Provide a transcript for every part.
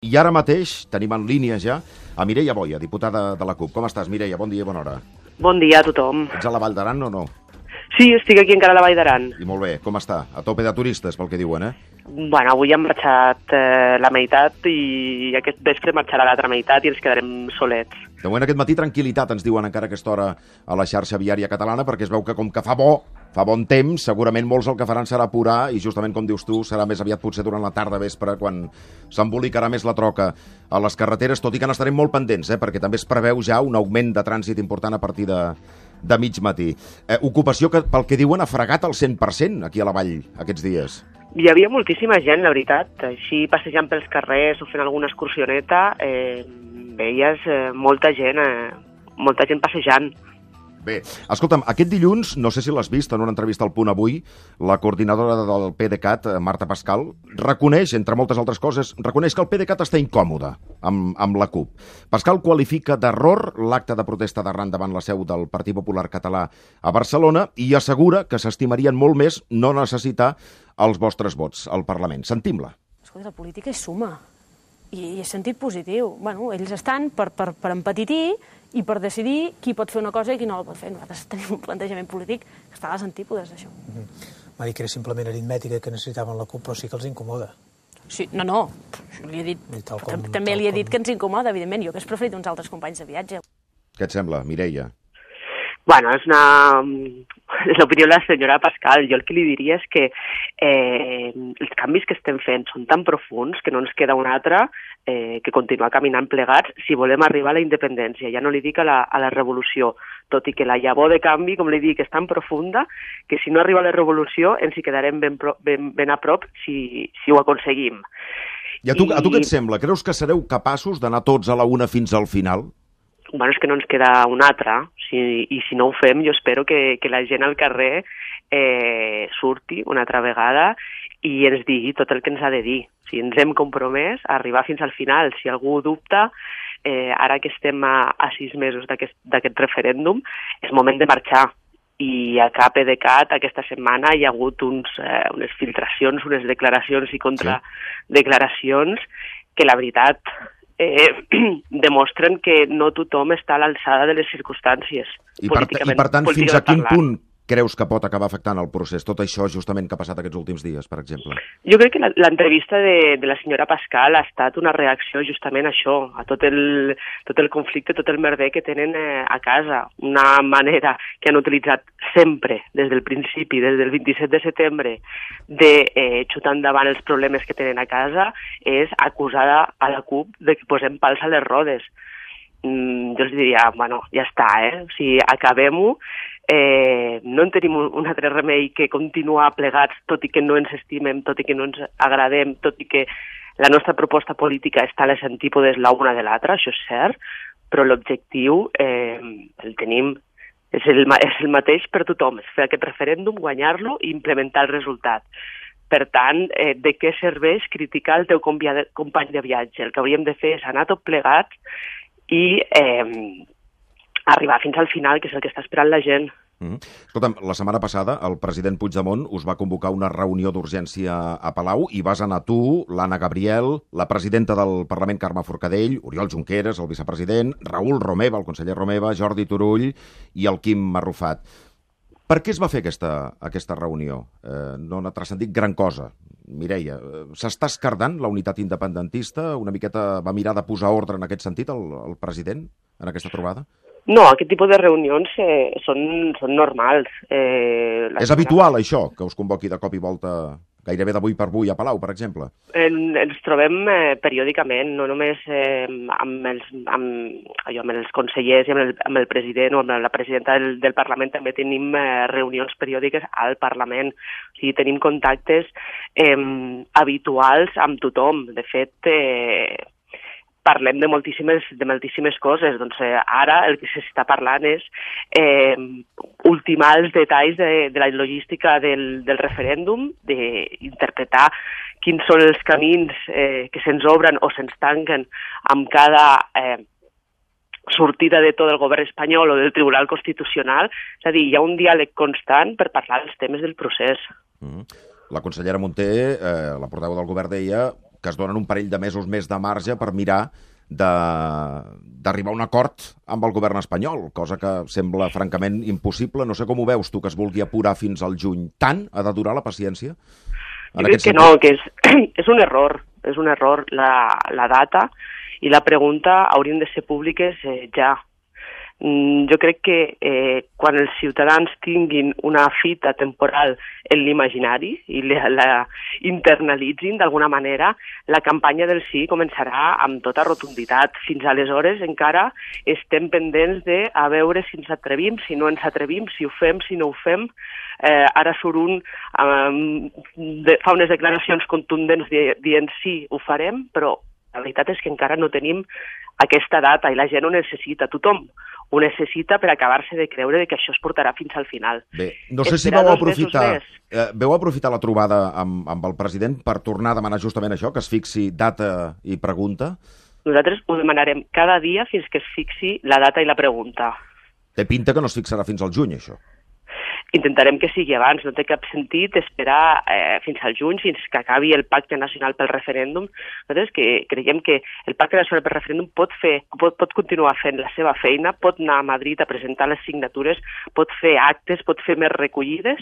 I ara mateix tenim en línia ja a Mireia Boya, diputada de la CUP. Com estàs, Mireia? Bon dia i bona hora. Bon dia a tothom. Ets a la Vall d'Aran o no? Sí, estic aquí encara a la Vall d'Aran. I molt bé. Com està? A tope de turistes, pel que diuen, Bueno, avui hem marxat la meitat i aquest vespre marxarà l'altra meitat i ens quedarem solets. De moment aquest matí tranquil·litat, ens diuen encara a aquesta hora a la xarxa viària catalana, perquè es veu que com que fa bon temps, segurament molts el que faran serà apurar i justament, com dius tu, serà més aviat potser durant la tarda vespre quan s'embolicarà més la troca a les carreteres, tot i que n'estarem molt pendents, perquè també es preveu ja un augment de trànsit important a partir de mig matí. Ocupació que, pel que diuen, ha fregat al 100% aquí a la Vall aquests dies. Hi havia moltíssima gent, la veritat. Així, passejant pels carrers o fent alguna excursioneta, veies molta gent passejant. Bé, escolta'm, aquest dilluns, no sé si l'has vist en una entrevista al Punt Avui, la coordinadora del PDeCAT, Marta Pascal, reconeix, entre moltes altres coses, reconeix que el PDeCAT està incòmode amb la CUP. Pascal qualifica d'error l'acte de protesta d'arran davant la seu del Partit Popular Català a Barcelona i assegura que s'estimarien molt més no necessitar els vostres vots al Parlament. Sentim-la. Escolta, la política és suma i és sentit positiu. Bueno, ells estan per empetitir i per decidir qui pot fer una cosa i qui no la pot fer. Nosaltres tenim un plantejament polític que està a les antípodes d'això. Va dir que era simplement aritmètica que necessitaven la CUP, però sí que els incomoda. Sí, no. Li he dit, també li he dit que ens incomoda, evidentment. Jo hauria preferit uns altres companys de viatge. Què et sembla, Mireia? Bueno, és l'opinió de la senyora Pascal. Jo el que li diria és que els canvis que estem fent són tan profuns que no ens queda un altre que continuar caminant plegats si volem arribar a la independència. Ja no li dic a la revolució, tot i que la llavor de canvi, com li dic, és tan profunda que si no arriba a la revolució ens hi quedarem ben a prop si ho aconseguim. I a tu què et sembla? Creus que sereu capaços d'anar tots a la una fins al final? Bueno, és que no ens queda un altre, i si no ho fem jo espero que la gent al carrer surti una altra vegada i ens digui tot el que ens ha de dir. Si ens hem compromès a arribar fins al final, si algú dubta, ara que estem a 6 mesos d'aquest referèndum, és moment de marxar. I a PDeCAT aquesta setmana hi ha hagut unes filtracions, unes declaracions i contradeclaracions que la veritat demostren que no tothom està a l'alçada de les circumstàncies. I per tant, fins a quin punt creus que pot acabar afectant el procés? Tot això justament que ha passat aquests últims dies, per exemple. Jo crec que l'entrevista de la senyora Pascal ha estat una reacció justament a això, a tot el conflicte, tot el merder que tenen a casa. Una manera que han utilitzat sempre, des del principi, des del 27 de setembre, de xutar endavant els problemes que tenen a casa, és acusar a la CUP de que posem pals a les rodes. Jo els diria, bueno, ja està, o sigui, acabem-ho, no en tenim un altre remei que continuar plegats, tot i que no ens estimem, tot i que no ens agradem, tot i que la nostra proposta política està a les antípodes l'una de l'altra, això és cert, però l'objectiu el tenim, és el mateix per tothom, és fer aquest referèndum, guanyar-lo i implementar el resultat. Per tant, de què serveix criticar el teu company de viatge? El que hauríem de fer és anar tot plegats i arribar fins al final, que és el que està esperant la gent. Escolta'm, la setmana passada el president Puigdemont us va convocar una reunió d'urgència a Palau i vas anar tu, l'Anna Gabriel, la presidenta del Parlament, Carme Forcadell, Oriol Junqueras, el vicepresident, Raül Romeva, el conseller Romeva, Jordi Turull i el Quim Arrufat. Per què es va fer aquesta reunió? No n'ha transcendit gran cosa. Mireia, s'està escardant la unitat independentista? Una miqueta va mirar de posar ordre en aquest sentit el president en aquesta trobada? No, aquest tipus de reunions són normals. És habitual, això, que us convoqui de cop i volta gairebé d'avui per avui a Palau, per exemple? Ens trobem periòdicament, no només amb els consellers i amb el president o amb la presidenta del Parlament, també tenim reunions periòdiques al Parlament. O sigui, tenim contactes habituals amb tothom. De fet, parlem de moltíssimes coses. Doncs ara el que s'està parlant és ultimar els detalls de la logística del referèndum, d'interpretar quins són els camins que se'ns obren o se'ns tanquen amb cada sortida de tot el govern espanyol o del Tribunal Constitucional. És a dir, hi ha un diàleg constant per parlar dels temes del procés. La consellera Munté, la portaveu del govern, deia que es donen un parell de mesos més de marge per mirar d'arribar a un acord amb el govern espanyol, cosa que sembla francament impossible. No sé com ho veus tu, que es vulgui apurar fins al juny. Tant ha de durar la paciència? Jo crec que no, que és un error la data i la pregunta haurien de ser públiques ja. Jo crec que quan els ciutadans tinguin una fita temporal en l'imaginari i la internalitzin d'alguna manera, la campanya del sí començarà amb tota rotunditat. Fins aleshores encara estem pendents de a veure si ens atrevim, si no ens atrevim, si ho fem, si no ho fem. Ara surt fa unes declaracions contundents dient sí, ho farem, però la veritat és que encara no tenim aquesta data i la gent ho necessita, tothom ho necessita per acabar-se de creure que això es portarà fins al final. Bé, no sé si vau aprofitar la trobada amb el president per tornar a demanar justament això, que es fixi data i pregunta? Nosaltres ho demanarem cada dia fins que es fixi la data i la pregunta. Té pinta que no es fixarà fins al juny, això. Intentarem que sigui abans, no té cap sentit esperar fins al juny, fins que acabi el Pacte Nacional pel Referèndum. Nosaltres creiem que el Pacte Nacional pel Referèndum pot continuar fent la seva feina, pot anar a Madrid a presentar les signatures, pot fer actes, pot fer més recollides,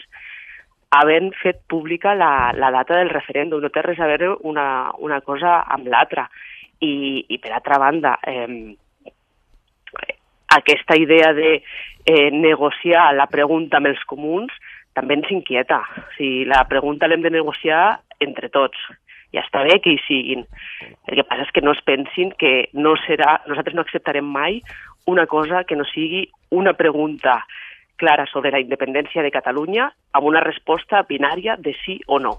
havent fet pública la data del referèndum. No té res a veure una cosa amb l'altra. I per altra banda, aquesta idea de negociar la pregunta amb els comuns també ens inquieta. O sigui, la pregunta l'hem de negociar entre tots. Ja està bé que hi siguin. El que passa és que no es pensin que nosaltres no acceptarem mai una cosa que no sigui una pregunta clara sobre la independència de Catalunya amb una resposta binària de sí o no.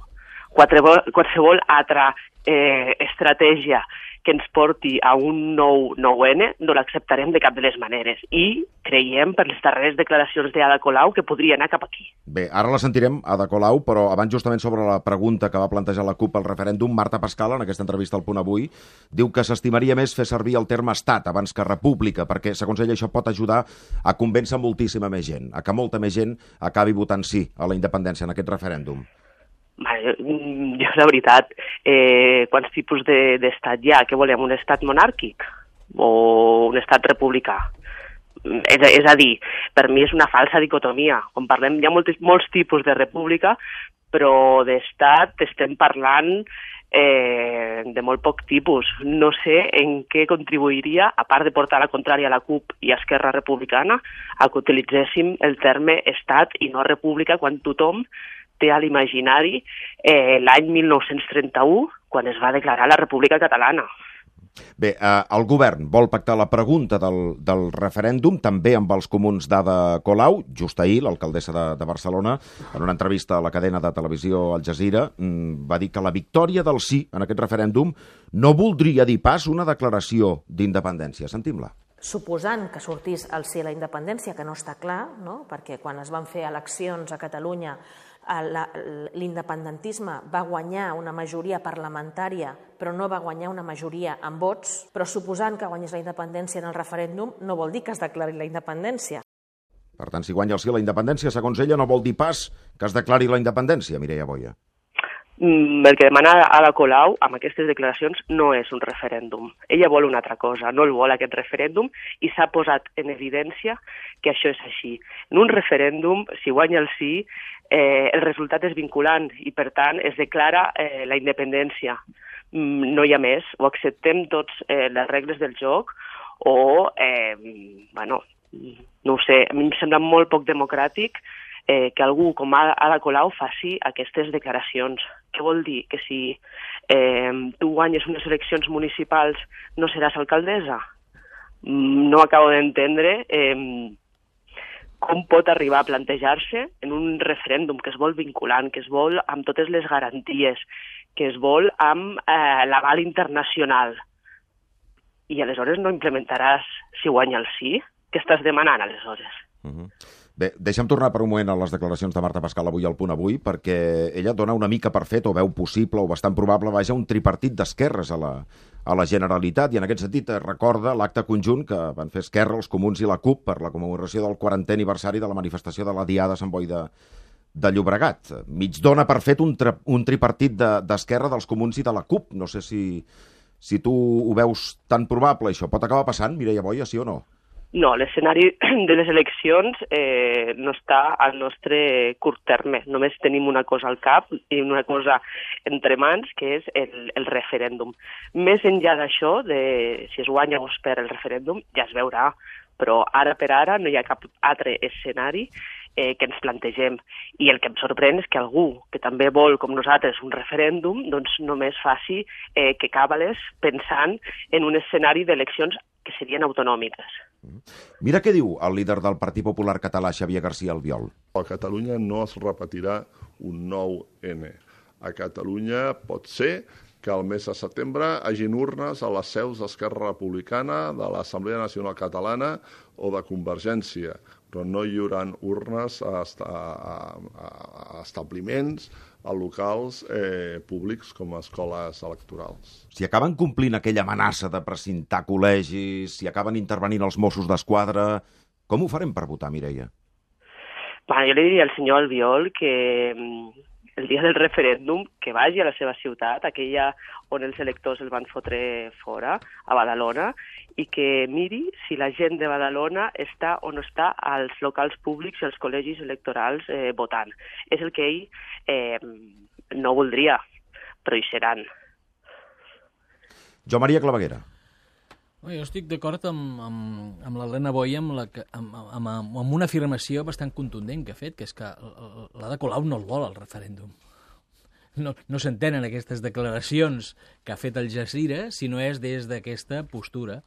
Qualsevol altra estratègia que ens porti a un nou 9-N no l'acceptarem de cap de les maneres i creiem per les darreres declaracions d'Ada Colau que podria anar cap aquí. Bé, ara la sentirem, Ada Colau, però abans justament sobre la pregunta que va plantejar la CUP al referèndum, Marta Pascal, en aquesta entrevista al Punt Avui, diu que s'estimaria més fer servir el terme estat abans que república, perquè, segons ella, això pot ajudar a convèncer moltíssima més gent, a que molta més gent acabi votant sí a la independència en aquest referèndum. Jo, la veritat, quants tipus d'estat hi ha? Què volem, un estat monàrquic o un estat republicà? És a dir, per mi és una falsa dicotomia. Quan parlem, hi ha molts tipus de república, però d'estat estem parlant de molt poc tipus. No sé en què contribuiria, a part de portar la contrària a la CUP i a Esquerra Republicana, a que utilitzéssim el terme estat i no república quan tothom té a l'imaginari l'any 1931, quan es va declarar la República Catalana. Bé, el govern vol pactar la pregunta del referèndum també amb els comuns d'Ada Colau. Just ahir, l'alcaldessa de Barcelona, en una entrevista a la cadena de televisió Al Jazeera, va dir que la victòria del sí en aquest referèndum no voldria dir pas una declaració d'independència. Sentim-la. Suposant que sortís el sí a la independència, que no està clar, no? Perquè quan es van fer eleccions a Catalunya l'independentisme va guanyar una majoria parlamentària, però no va guanyar una majoria en vots, però suposant que guanyés la independència en el referèndum no vol dir que es declari la independència. Per tant, si guanya el sí a la independència, segons ella, no vol dir pas que es declari la independència, Mireia Boya. El que demana Ada Colau amb aquestes declaracions no és un referèndum. Ella vol una altra cosa, no el vol aquest referèndum i s'ha posat en evidència que això és així. En un referèndum, si guanya el sí, el resultat és vinculant i, per tant, es declara la independència. No hi ha més, o acceptem tots les regles del joc o, no ho sé, a mi em sembla molt poc democràtic que algú com Ada Colau faci aquestes declaracions. Què vol dir? Que si tu guanyes unes eleccions municipals no seràs alcaldessa? No acabo d'entendre com pot arribar a plantejar-se en un referèndum que es vol vinculant, que es vol amb totes les garanties, que es vol amb l'aval internacional. I aleshores no implementaràs si guanya el sí? Què estàs demanant aleshores? Bé, deixa'm tornar per un moment a les declaracions de Marta Pascal avui al Punt Avui, perquè ella dona una mica per fet, o veu possible, o bastant probable, un tripartit d'esquerres a la Generalitat, i en aquest sentit recorda l'acte conjunt que van fer Esquerra, els Comuns i la CUP per la commemoració del 40è aniversari de la manifestació de la Diada a Sant Boi de Llobregat. Mig dona per fet un tripartit d'Esquerra, dels Comuns i de la CUP. No sé si tu ho veus tan probable, això. Pot acabar passant, Mireia Boya, sí o no? No, l'escenari de les eleccions no està al nostre curt terme. Només tenim una cosa al cap i una cosa entre mans, que és el referèndum. Més enllà d'això, si es guanya o es perd el referèndum, ja es veurà. Però ara per ara no hi ha cap altre escenari que ens plantegem. I el que em sorprèn és que algú que també vol, com nosaltres, un referèndum, doncs només faci que càbales pensant en un escenari d'eleccions que serien autonòmiques. Mira què diu el líder del Partit Popular català, Xavier García Albiol. A Catalunya no es repetirà un 9N. A Catalunya pot ser que al mes de setembre hagin urnes a les seus d'Esquerra Republicana, de l'Assemblea Nacional Catalana o de Convergència, però no hi haurà urnes a establiments, a locals públics com a escoles electorals. Si acaben complint aquella amenaça de precintar col·legis, si acaben intervenint els Mossos d'Esquadra, com ho farem per votar, Mireia? Bueno, jo li diria al senyor Albiol que el dia del referèndum que vagi a la seva ciutat, aquella on els electors el van fotre fora, a Badalona, i que miri si la gent de Badalona està o no està als locals públics i als col·legis electorals votant. És el que ell no voldria, però hi seran. Jo, Maria Claveguera. Jo estic d'acord amb l'Helena Boya amb una afirmació bastant contundent que ha fet, que és que l'Ada Colau no el vol, el referèndum. No s'entenen aquestes declaracions que ha fet el Jazira si no és des d'aquesta postura.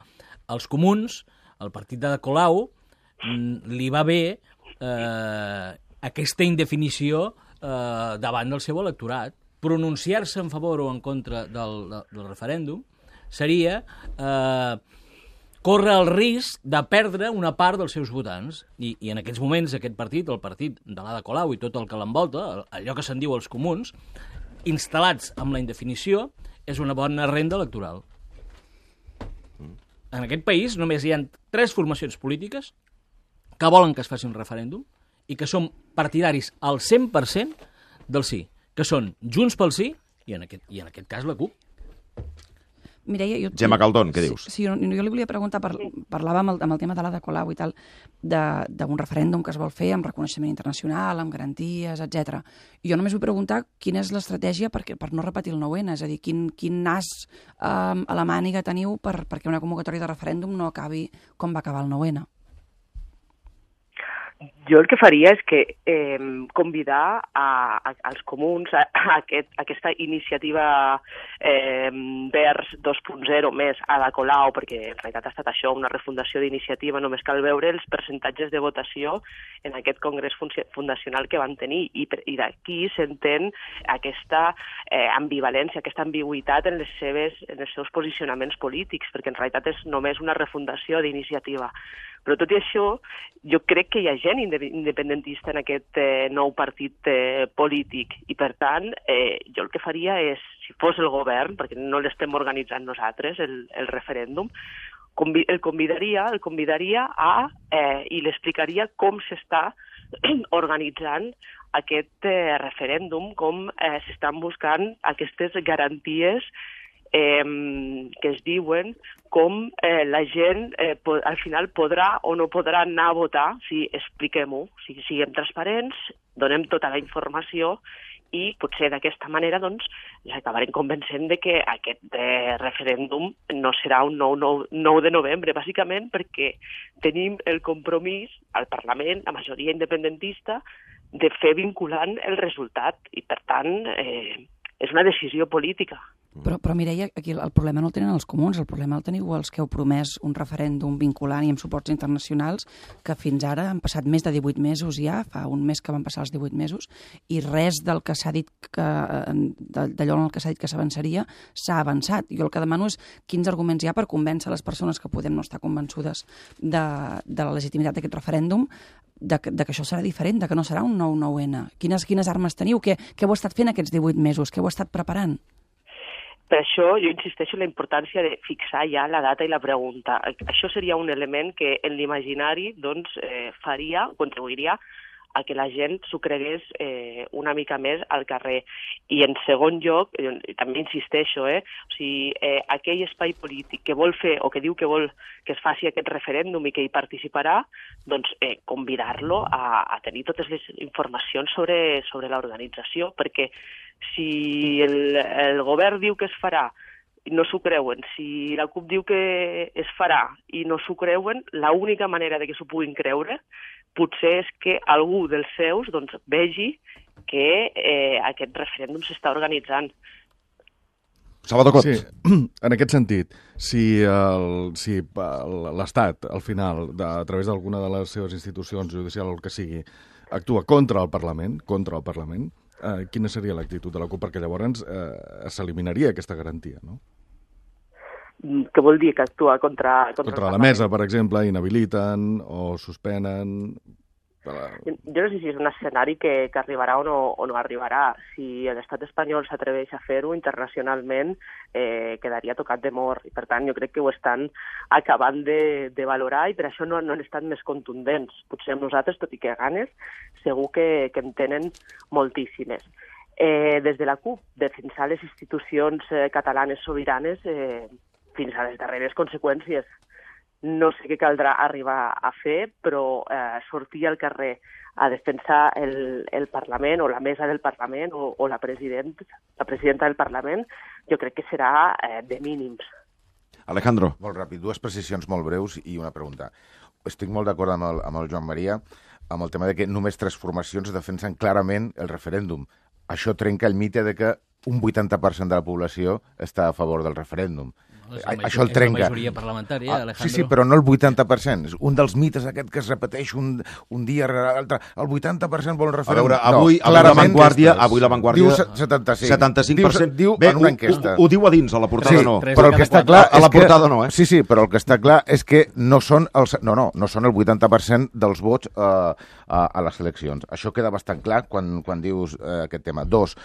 Els comuns, el partit d'Ada Colau, li va bé aquesta indefinició davant del seu electorat. Pronunciar-se en favor o en contra del referèndum seria córrer el risc de perdre una part dels seus votants. I en aquests moments aquest partit, el partit de l'Ada Colau i tot el que l'envolta, allò que se'n diu els comuns, instal·lats amb la indefinició, és una bona renda electoral. En aquest país només hi ha 3 formacions polítiques que volen que es faci un referèndum i que són partidaris al 100% del sí, que són Junts pel Sí i en aquest cas la CUP. Mireia, Gemma Caldón, què dius? Sí, jo li volia preguntar, parlava amb el tema de l'Ada Colau i tal, d'un referèndum que es vol fer amb reconeixement internacional, amb garanties, etc. I jo només vull preguntar quina és l'estratègia per no repetir el 9N, és a dir, quin nas a la màniga teniu perquè una convocatòria de referèndum no acabi com va acabar el 9N. Jo el que faria és que convidar als comuns a aquesta iniciativa Verds 2.0 més Ada Colau, perquè en realitat ha estat això, una refundació d'iniciativa, només cal veure els percentatges de votació en aquest congrés fundacional que van tenir, i d'aquí s'entén aquesta ambivalència, aquesta ambigüitat en els seus posicionaments polítics, perquè en realitat és només una refundació d'iniciativa. Però tot i això, jo crec que hi ha gent independentista en aquest nou partit polític i, per tant, jo el que faria és, si fos el govern, perquè no l'estem organitzant nosaltres, el referèndum, el convidaria i l'explicaria com s'està organitzant aquest referèndum, com s'estan buscant aquestes garanties que es diuen, com la gent al final podrà o no podrà anar a votar, si expliquem-ho, si siguem transparents, donem tota la informació i potser d'aquesta manera doncs acabarem convencent de que aquest referèndum no serà un 9 de novembre, bàsicament perquè tenim el compromís al Parlament, la majoria independentista, de fer vinculant el resultat i, per tant, és una decisió política. Però Mireia, aquí el problema no el tenen els comuns, el problema el teniu els que heu promès un referèndum vinculant i amb suports internacionals, que fins ara han passat més de 18 mesos ja, fa un mes que van passar els 18 mesos, i res del que s'ha dit d'allò en el que s'ha dit que s'avançaria s'ha avançat. Jo el que demano és quins arguments hi ha per convèncer les persones que podem no estar convençudes de la legitimitat d'aquest referèndum, de que això serà diferent, de que no serà un nou 9N. Quines armes teniu? Què heu estat fent aquests 18 mesos? Què heu estat preparant? Per això jo insisteixo en la importància de fixar ja la data i la pregunta. Això seria un element que en l'imaginari contribuiria a que la gent s'ho cregués una mica més al carrer. I en segon lloc, també insisteixo, o sigui, aquell espai polític que vol fer o que diu que vol que es faci aquest referèndum i que hi participarà, doncs convidar-lo a tenir totes les informacions sobre l'organització, perquè si el govern diu que es farà i no s'ho creuen, si la CUP diu que es farà i no s'ho creuen, l'única manera de que s'ho puguin creure potser és que algú dels seus vegi que aquest referèndum s'està organitzant. Salvador Cot. Sí, en aquest sentit, si l'Estat, al final, a través d'alguna de les seves institucions judicials o el que sigui, actua contra el Parlament, quina seria l'actitud de la CUP? Perquè llavors s'eliminaria aquesta garantia, no? Què vol dir que actua contra la mesa, per exemple, inhabiliten o suspenen? Jo no sé si és un escenari que arribarà o no arribarà. Si l'estat espanyol s'atreveix a fer-ho internacionalment, quedaria tocat de mort. I per tant, jo crec que ho estan acabant de valorar i per això no han estat més contundents. Potser amb nosaltres, tot i que ganes, segur que en tenen moltíssimes. Des de la CUP, defensar les institucions catalanes sobiranes fins a les darreres conseqüències. No sé què caldrà arribar a fer, però sortir al carrer a defensar el Parlament o la mesa del Parlament o la presidenta del Parlament, jo crec que serà de mínims. Alejandro. Molt ràpid, dues precisions molt breus i una pregunta. Estic molt d'acord amb el Joan Maria amb el tema de que només 3 formacions defensen clarament el referèndum. Això trenca el mite de que un 80% de la població està a favor del referèndum. Això el trenca. És la majoria parlamentària, Alejandro. Sí, però no el 80%. És un dels mites aquest que es repeteix un dia rere l'altre. El 80% vol un referèndum. A veure, avui la Vanguardia diu 75%. 75%. Diu en una enquesta. Ho diu a dins, a la portada no. Però el que està clar a la portada no, Sí, però el que està clar és que no són el 80% dels vots a les eleccions. Això queda bastant clar quan dius aquest tema. 2,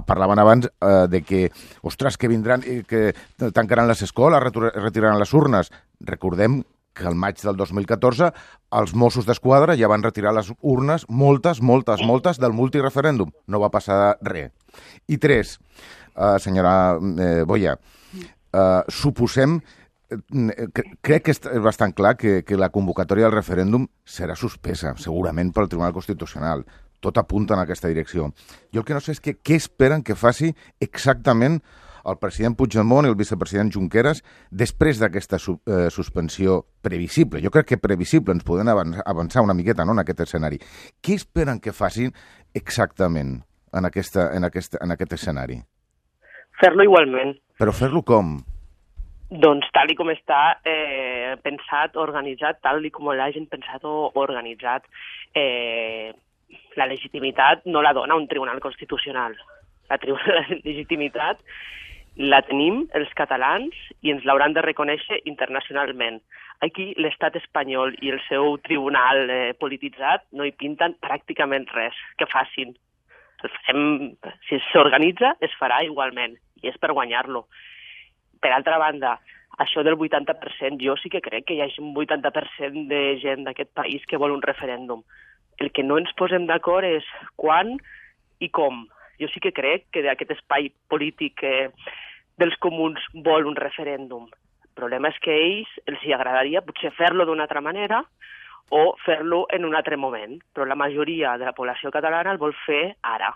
parlaven abans de que, ostres, que vindran i que tancaran les escoles, retiraran les urnes. Recordem que al maig del 2014 els Mossos d'Esquadra ja van retirar les urnes, moltes del multireferèndum. No va passar res. I 3, senyora Boya, suposem, crec que és bastant clar que la convocatòria del referèndum serà suspesa, segurament pel Tribunal Constitucional. Tot apunta en aquesta direcció. Jo el que no sé és què esperen que faci exactament el president Puigdemont i el vicepresident Junqueras després d'aquesta suspensió previsible. Jo crec que previsible, ens podem avançar una miqueta en aquest escenari. Què esperen que facin exactament en aquest escenari? Fer-lo igualment. Però fer-lo com? Doncs tal com està pensat, organitzat, tal com l'hagin pensat o organitzat. La legitimitat no la dona un tribunal constitucional. La legitimitat la tenim els catalans i ens l'hauran de reconèixer internacionalment. Aquí l'estat espanyol i el seu tribunal polititzat no hi pinten pràcticament res. Que facin. Si s'organitza, es farà igualment, i és per guanyar-lo. Per altra banda, això del 80%, jo sí que crec que hi hagi un 80% de gent d'aquest país que vol un referèndum. El que no ens posem d'acord és quan i com. Jo sí que crec que d'aquest espai polític dels comuns vol un referèndum. El problema és que a ells els hi agradaria potser fer-lo d'una altra manera o fer-lo en un altre moment, però la majoria de la població catalana el vol fer ara.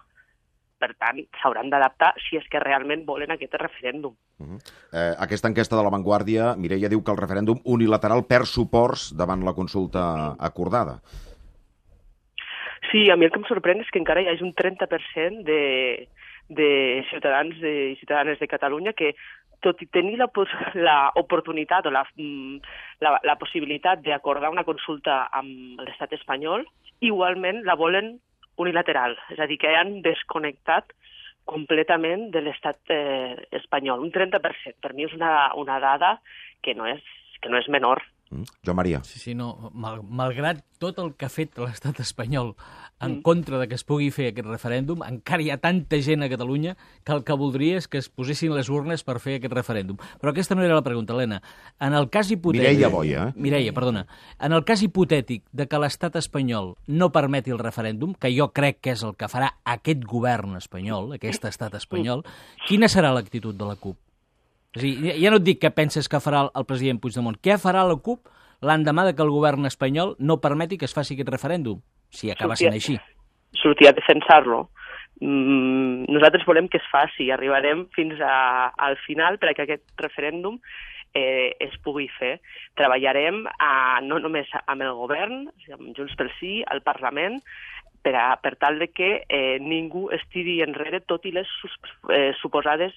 Per tant, s'hauran d'adaptar si és que realment volen aquest referèndum. Aquesta enquesta de la Vanguardia, Mireia, diu que el referèndum unilateral perd suports davant la consulta acordada. Sí, a mi el que em sorprèn és que encara hi hagi un 30% de ciutadans i ciutadanes de Catalunya que, tot i tenir l'oportunitat o la possibilitat d'acordar una consulta amb l'estat espanyol, igualment la volen unilateral, és a dir, que han desconnectat completament de l'estat espanyol. Un 30%, per mi és una dada que no és menor Joan Maria. Sí, no, malgrat tot el que ha fet l'estat espanyol en contra de que es pugui fer aquest referèndum, encara hi ha tanta gent a Catalunya que el que voldria és que es posessin les urnes per fer aquest referèndum. Però aquesta no era la pregunta, Helena. En el cas hipotètic... Mireia Boia, Mireia, perdona. En el cas hipotètic de que l'estat espanyol no permeti el referèndum, que jo crec que és el que farà aquest govern espanyol, aquest estat espanyol, quina serà l'actitud de la CUP? És a dir, ja no et dic què penses que farà el president Puigdemont. Què farà la CUP l'endemà de que el govern espanyol no permeti que es faci aquest referèndum, si acaba sent així? Sortir a defensar-lo. Nosaltres volem que es faci i arribarem fins al final perquè aquest referèndum es pugui fer. Treballarem no només amb el govern, amb Junts pel Sí, al Parlament, per tal de que ningú es tiri enrere, tot i les suposades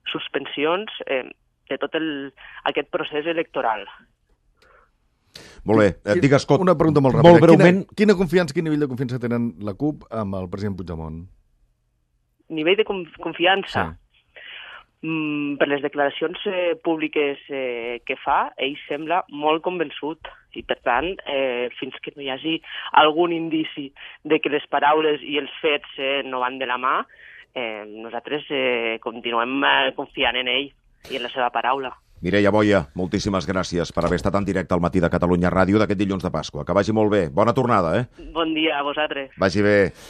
suspensions de tot aquest procés electoral. Molt bé, digues, Scott, una pregunta molt ràpida. Molt breument. Quin nivell de confiança tenen la CUP amb el president Puigdemont? Nivell de confiança? Sí. Per les declaracions públiques que fa, ell sembla molt convençut i, per tant, fins que no hi hagi algun indici de que les paraules i els fets no van de la mà, nosaltres continuem confiant en ell i en la seva paraula. Mireia Boia, moltíssimes gràcies per haver estat en directe al Matí de Catalunya Ràdio d'aquest dilluns de Pasqua. Que vagi molt bé. Bona tornada, Bon dia a vosaltres. Vagi bé.